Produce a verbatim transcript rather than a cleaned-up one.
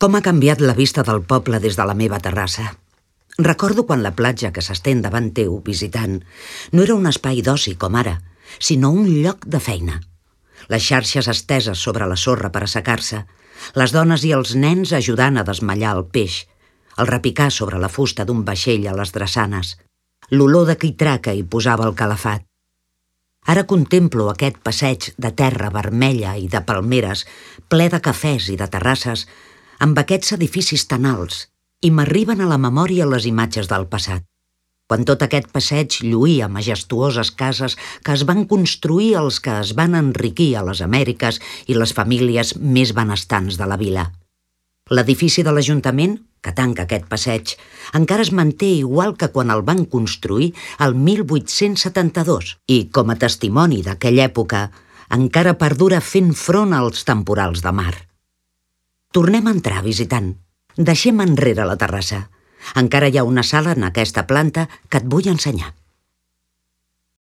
Com ha canviat la vista del poble des de la meva terrassa. Recordo quan la platja que s'estén davant teu, visitant, no era un espai d'oci com ara, sinó un lloc de feina. Les xarxes esteses sobre la sorra per assecar-se, les dones i els nens ajudant a desmallar el peix, el repicar sobre la fusta d'un vaixell a les drassanes, l'olor de quitraca hi posava el calafat. Ara contemplo aquest passeig de terra vermella i de palmeres, ple de cafès i de terrasses, amb aquests edificis tan alts, i m'arriben a la memòria les imatges del passat, quan tot aquest passeig lluïa majestuoses cases que es van construir els que es van enriquir a les Amèriques i les famílies més benestants de la vila. L'edifici de l'Ajuntament, que tanca aquest passeig, encara es manté igual que quan el van construir el mil vuit-cents setanta-dos i, com a testimoni d'aquella època, encara perdura fent front als temporals de mar. Tornem a entrar, visitant. Deixem enrere la terrassa. Encara hi ha una sala en aquesta planta que et vull ensenyar.